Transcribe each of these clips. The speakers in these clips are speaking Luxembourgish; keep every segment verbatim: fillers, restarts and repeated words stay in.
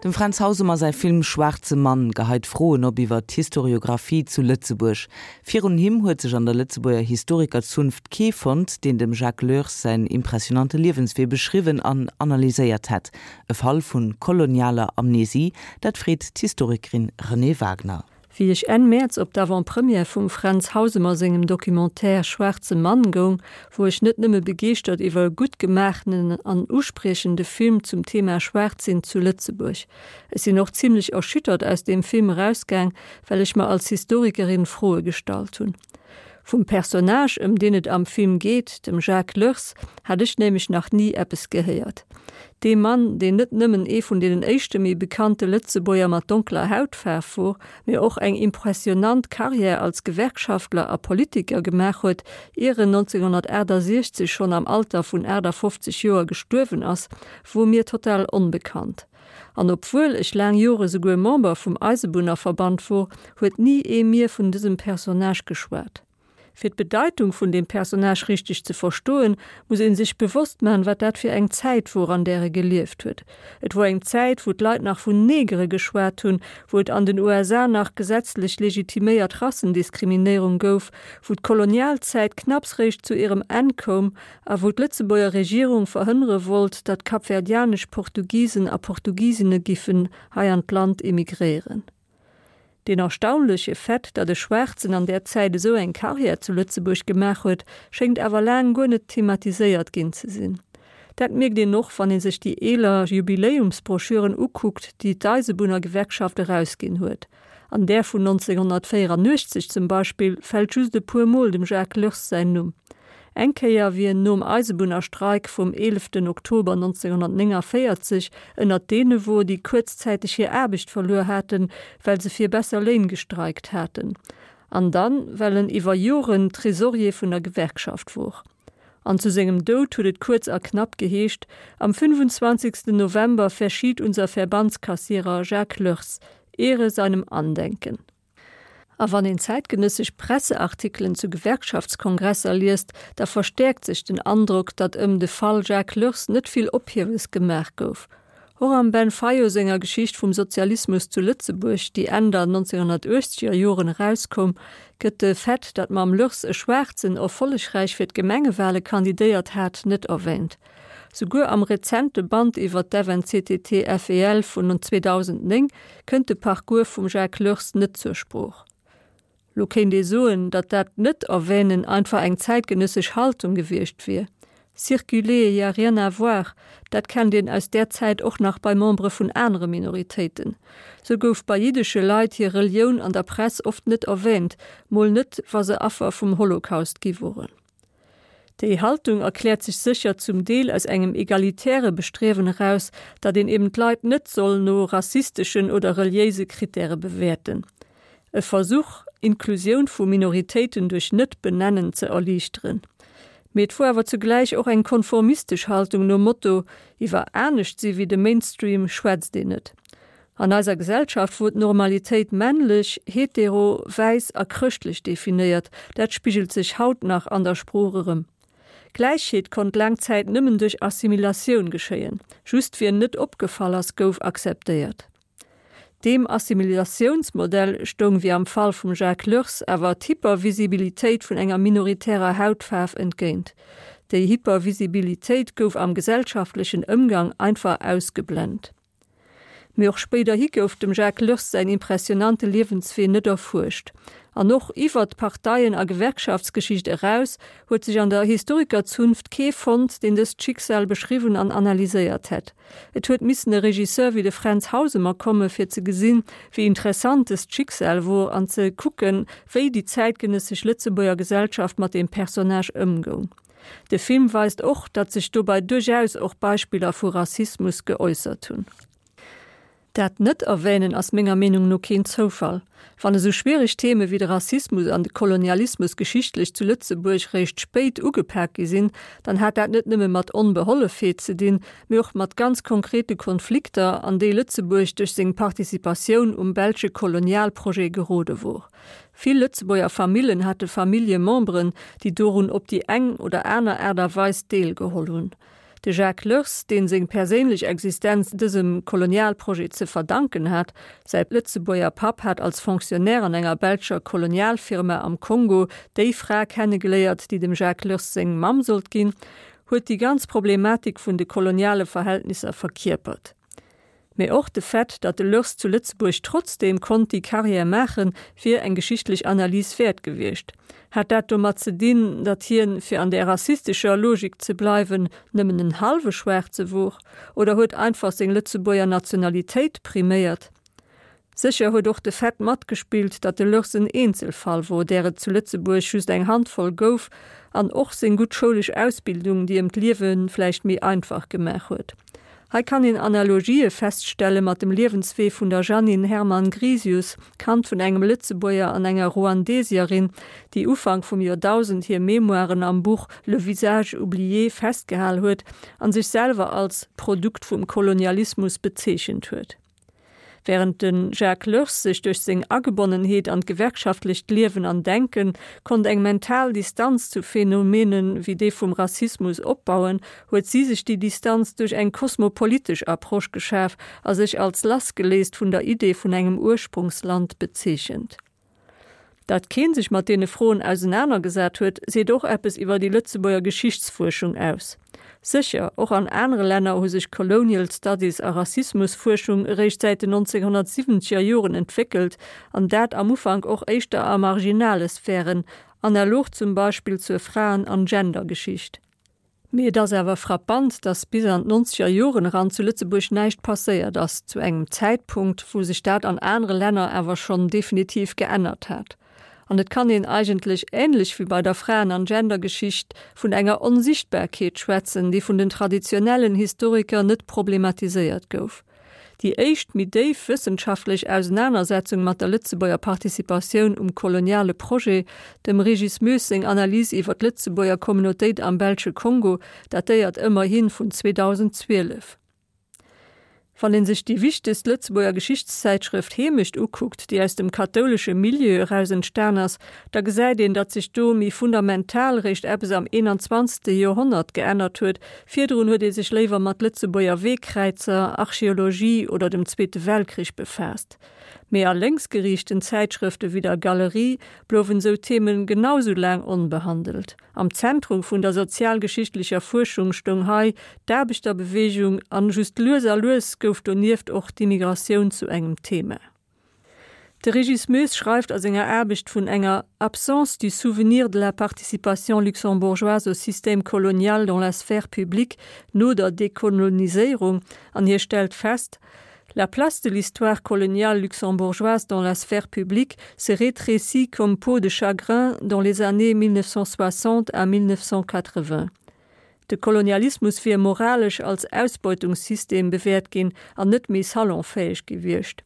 Dem Fränz Hausemer säi Film Schwaarze Mann geheit Froen op iwwer d'Historiographie zu Lëtzebuerg. Virun him huet sech an der Lëtzebuerger Historikerzunft kee fonnt, deen dem Jacques Leurs säin impressionante Liewenswee beschriwwen an analyséiert hätt. E Fall vu kolonialer Amnesie, dat freet d'Historikerin Renée Wagner. Wéi ech Enn Mäerz op d'Avant-première vum Fränz Hausemer sengem Documentaire Schwaarze Mann goung, wor ech net nëmme begeeschtert iwwer e gutt gemaachenen an uspriechende Film zum Thema Schwaarz-Sinn zu Lëtzebuerg. Ech sinn och zimlech erschüttert aus deem Film erausgaang, well ech mer als Historikerin Froe gestallt hunn. Vum Personnage, ëm deen et am Film geet, dem Jacques Leurs, hat ech nämlech nach ni eppes gehéiert. Dee Mann, deen net nëmmen ee vun deenen éischte méi bekannte Lëtzebuerger mat donkeler Hautfaarf wor, mee och eng impressionant Karriär als Gewerkschaftler a Politiker gemaach huet, ier en nonzénghonnertaachtasechzeg schonn am Alter vun aachtafoffzeg Joer gestuerwen ass, wor mir total onbekannt. An obwuel ech laang Jore souguer Member vum Eisebunnerverband wor, huet ni ee mir vun dësem Personnage geschwat. Fir d'Bedeitung vun deem Personnage richteg ze verstoen, muss ee sech bewosst man, wat dat fir eng Zäit wor, an där e gelieft huet. Et wor eng Zäit, wou d'Leit nach vun Negere geschwat hunn, wou et an den U S A nach gesetzlech legitiméiert Rassendiskriminéierung gouf, wou d'Kolonialzäit knapps réischt zu hirem Enn koum a wou d'Lëtzebuerger Regierung verhënnere wollt, datt kapverdianesch Portugisen a Portugisinne giffen hei an d'Land immigréieren. Deen erstaunleche Fait, datt e Schwaarzen an där Zäit esou eng Karriär zu Lëtzebuerg gemaach huet, schéngt awer laang guer net thematiséiert ginn ze sinn. Dat mierkt een och, wann ee sech déi eeler Jubiläumsbroschüren ukuckt, déi d'Eisebunnergewerkschaft erausginn huet. An där vun nonzénghonnertvéierunnuechtzeg zum Beispill fält just e puer Mol dem Jacques Leurs säin Numm. Eng Kéier, wéi en nom Eisebunnerstreik vum eeleften Oktober nonzénghonnertnéngavéierzeg ënnert deene wor, déi kuerzzäiteg hir Aarbecht verluer haten, well se fir besser Léin gestreikt haten. An dann, well en iwwer Joren Tresorier vun der Gewerkschaft wor. An zu sengem Doud huet et kuerz a knapp geheescht, Am fünfundzwanzigsten November verschied unser Verbandskassierer Jacques Leurs, Ehre seinem Andenken. A wann een zäitgenëssesch Presseartikelen zu Gewerkschaftskongresser liest, da verstäerkt sech den Androck, datt ëm de Fall Jacques Leurs net vill Ophiewes gemaach gouf. Och am Ben Fayot senger Geschicht vum Sozialismus zu Lëtzebuerg, déi Enn der nonzénghonnertuechtzeger Joren erauskoum, gëtt de Fait, datt mam Leurs e Schwaarzen erfollegräich fir d'Gemengewale kandidéiert hat, net erwäänt. Souguer am rezente Band iwwer d'F N C T T F E L vun zweedausendnéng kënnt de Parcours vum Jacques Leurs net zur Sprooch. Lo kéint ee soen, datt dat Net-Erwänen einfach eng zäitgenëssesch Haltung gewiescht wier. Circuler, y a rien à voir, dat kennt een aus där Zäit och nach bei Membere vun anere Minoritéiten. Sou gouf bei jiddesche Leit hir Relioun an der Press oft net erwäänt, mol net, wa se Affer vum Holocaust gi woren. Déi Haltung erkläert sech sécher zum Deel aus engem egalitäre Bestriewen eraus, datt een eben d'Leit net soll no rassisteschen oder reliéise Krittäre bewäerten. E Versuch, Inklusioun vu Minoritéiten duerch Net-Benennen ze erliichteren. Mee et wor awer zugläich och eng konformistesch Haltung nom Motto, Iwwer anescht si wéi de Mainstream schwätzt een net. An eiser Gesellschaft wor d'Normalitéit männlech, hetero, wäiss a chrëschtlech definéiert, dat spigelt sech haut nach an der Sprooch erëm. Gläichheet konnt laang Zäit nëmmen duerch Assimilatioun geschéien, just wien net opgefall ass, gouf akzeptéiert. Deem Assimilatiounsmodell stoung wéi am Fall vum Jacques Leurs awer d'Hypervisibilitéit vun enger minoritärer Hautfaarf entgéint. Déi Hypervisibilitéit gouf am gesellschaftlechen Ëmgang einfach ausgeblent. Mee och spéiderhi gouf dem Jacques Leurs säin impressionante Liewenswee net erfuerscht. An och iwwer d'Parteien a Gewerkschaftsgeschicht eraus huet sech an der Historikerzunft kee fonnt, deen dëst Schicksal beschriwwen an analyséiert hätt. Et huet missen e Regisseur wéi de Fränz Hausemer komme fir ze gesinn, wéi interessant dëst Schicksal wor an ze kucken, wéi déi zäitgenëssesch Lëtzebuerger Gesellschaft mat deem Personnage ëmgoung. De Film weist och, datt sech dobäi duerchaus och Beispiller vu Rassismus geäussert hunn. Dat Net-Erwänen ass menger Meenung no keen Zoufall. Wann esou schwiereg Theme wéi de Rassismus an de Kolonialismus geschichtlech zu Lëtzebuerg réischt spéit ugepak gi sinn, dann hat dat net nëmme mat Onbehollefheet ze dinn, mee och mat ganz konkrete Konflikter, an déi Lëtzebuerg duerch seng Participatioun um belsche Kolonialprojet gerode wor. Vill Lëtzebuerger Famillen hate Familljememberen, déi dorun op déi eng oder aner Aart a Weis deelgeholl hunn. De Jacques Leurs, deen seng perséinlech Existenz dësem Kolonialprojet ze verdanken hat, säi Lëtzebuerger Papp hat als Fonctionnaire an enger belscher Kolonialfirma am Kongo déi Fra kennegeléiert, déi dem Jacques Leurs seng Mamm sollt ginn, huet déi ganz Problematik vun de koloniale Verhältnisser verkierpert. Mee och de Fait, datt de Leurs zu Lëtzebuerg trotzdeem konnt déi Carrière maachen, wier eng geschichtlech Analys wäert gewiescht. Hat dat domat ze dinn, datt hien, fir an der rassistescher Logik ze bleiwen, nëmmen en hallwe Schwaarze wor? Oder huet einfach seng Lëtzebuerger Nationalitéit priméiert? Sécher huet och de Fait matgespillt, datt de Leurs en Eenzelfall wor, där et zu Lëtzebuerg just eng Handvoll gouf, an och seng gutt schoulesch Ausbildung, déi em d'Liewe vläicht méi einfach gemaach huet. Hei kann een Analogië feststelle mat dem Liewenswee vun der Jeanine Herman-Grisius, Kand vun engem Lëtzebuerger an enger Ruandesierin, déi Ufank vum Joerdausend hir Memoiren am Buch Le visage oublié festgehal huet an sech selwer als Produkt vum Kolonialismus bezeechent huet. Wärend de Jacques Leurs sech duerch seng Agebonnenheet an d'gewerkschaftlecht Liewen an Denken konnt eng mental Distanz zu Phenomenen wéi déi vum Rassismus opbauen, huet si sech déi Distanz duerch eng kosmopolitesch Approche geschaf a sech als lassgeléist vun der Idee vun engem Ursprungsland bezeechent. Datt kee sech mat deene Froen ausenanergesat huet, seet och eppes iwwer déi Lëtzebuerger Geschichtsfuerschung aus. Sécher, och an anere Länner hu sech Colonial Studies a Rassismusfuerschung eréischt säit den nonzénghonnertsiwwenzeger Joren entwéckelt, an dat am Ufank och éischter a marginale Sphären, analog zum Beispill zur Fraen an Gendergeschicht. Mee et ass awer frappant, datt bis an d'nonzeger Joren eran zu Lëtzebuerg näischt passéiert ass, zu engem Zäitpunkt, wou sech dat an anere Länner awer schonn definitiv geännert hat. An et kann een eigentlech, änlech wéi bei der Fraen an Gendergeschicht, vun enger Onsichtbarkeet schwätzen, déi vun den traditionellen Historiker net problematiséiert gouf. Déi éischt méi déif wëssenschaftlech Ausenanersetzung mat der Lëtzebuerger Participatioun um koloniale Projet, dem Régis Moes seng Analys iwwer d'Lëtzebuerger Communautéit am belsche Kongo, datéiert ëmmerhi vun zweedausendzwielef. Wann een sech déi wichtegst Lëtzebuerger Geschichtszäitschrëft Heemecht ukuckt, déi aus dem kathoulesche Milieu eraus entstan ass, da gesäit een, datt sech do méi fundamental réischt eppes am eenanzwanzegste Joerhonnert geännert huet, virdrun huet ee sech léiwer mat Lëtzebuerger Weekräizer, Archeologie oder dem Zweete Weltkrich befaasst. Mee a lénksgeriichten Zäitschrëfte wéi der Galerie blouwen esou Themen genau sou laang onbehandelt. Am Zentrum vun der sozialgeschichtlecher Fuerschung stoung hei d'Aarbechterbeweegung an just lues a lues gouf donieft och d'Immigratioun zu engem Thema. De Régis Moes schreift a senger Aarbecht vun enger absence du souvenir de la participation luxembourgeoise au système colonial dans la sphère publique no der Dekoloniséierung an hie stellt fest, La place de l'histoire coloniale luxembourgeoise dans la sphère publique s'est rétrécie comme peau de chagrin dans les années mille neuf cent soixante à mille neuf cent quatre-vingts. De Kolonialismus wier moralesch als Ausbeutungssystem bewäert ginn an net méi salonfäeg gewiescht.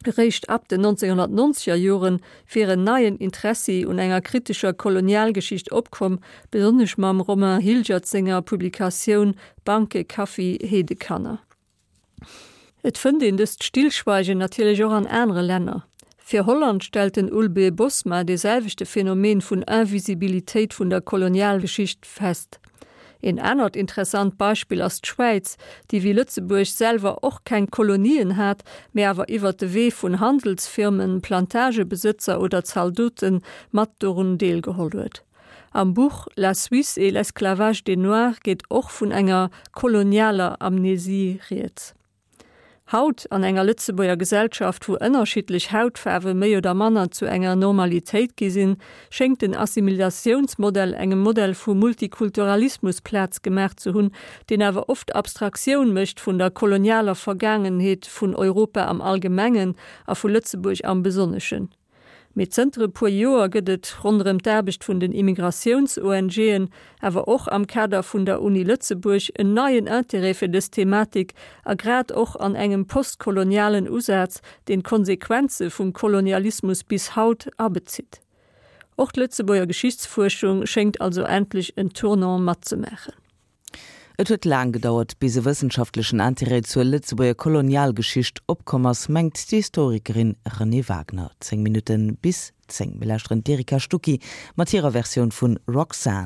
Eréischt ab den nonzénghonnertnonzeger Joren wier en neien Interessi un enger kritescher Kolonialgeschicht opkomm, besonnesch mam Romain Hilgert senger Publikatioun Banke, Kaffi, Heedekanner. Et fënnt een dëst Stillschweigen natierlech och an anere Länner. Fir Holland stellt den Ulbe Bosma dee selwechte Phänomen vun Invisibilitéit vun der Kolonialgeschicht fest. Een anert interessant Beispill ass d'Schwäiz, déi wéi Lëtzebuerg selwer och keng Kolonien hat, mee awer iwwer de Wee vun Handelsfirmen, Plantagebesëtzer oder Zaldote mat dorun deelgeholl huet. Am Buch La Suisse et l'esclavage des Noirs geet och vun enger kolonialer Amnesie rieds. Haut, an enger Lëtzebuerger Gesellschaft, wou ënnerschiddlech Hautfaarwe méi oder manner zu enger Normalitéit gi sinn, schéngt den Assimilatiounsmodell engem Modell vu Multikulturalismus Plaz gemaach ze hunn, deen awer oft Abstraktioun mécht vun der kolonialer Vergaangenheet vun Europa am Allgemengen a vu Lëtzebuerg am Besonneschen. Mee zënter e puer Joer gëtt et ronderëm d'Aarbecht vun den Immigratiouns-ONGen, awer och am Kader vun der Uni Lëtzebuerg en neien Interêt fir dës Thematik a grad och an engem postkolonialen Usaz, deen d'Konsequenze vum Kolonialismus bis haut abezitt. Och d'Lëtzebuerger Geschichtsfuerschung schéngt also endlech en Tournant matzemaachen. Et huet laang gedauert, bis e wëssenschaftlechen Interêt zur Lëtzebuerger Kolonialgeschicht opkomm ass, mengt d'Historikerin Renée Wagner. Zéng Minutte bis zéng. Mir lauschteren d'Erika Stucki mat hirer Versioun vun Roxanne.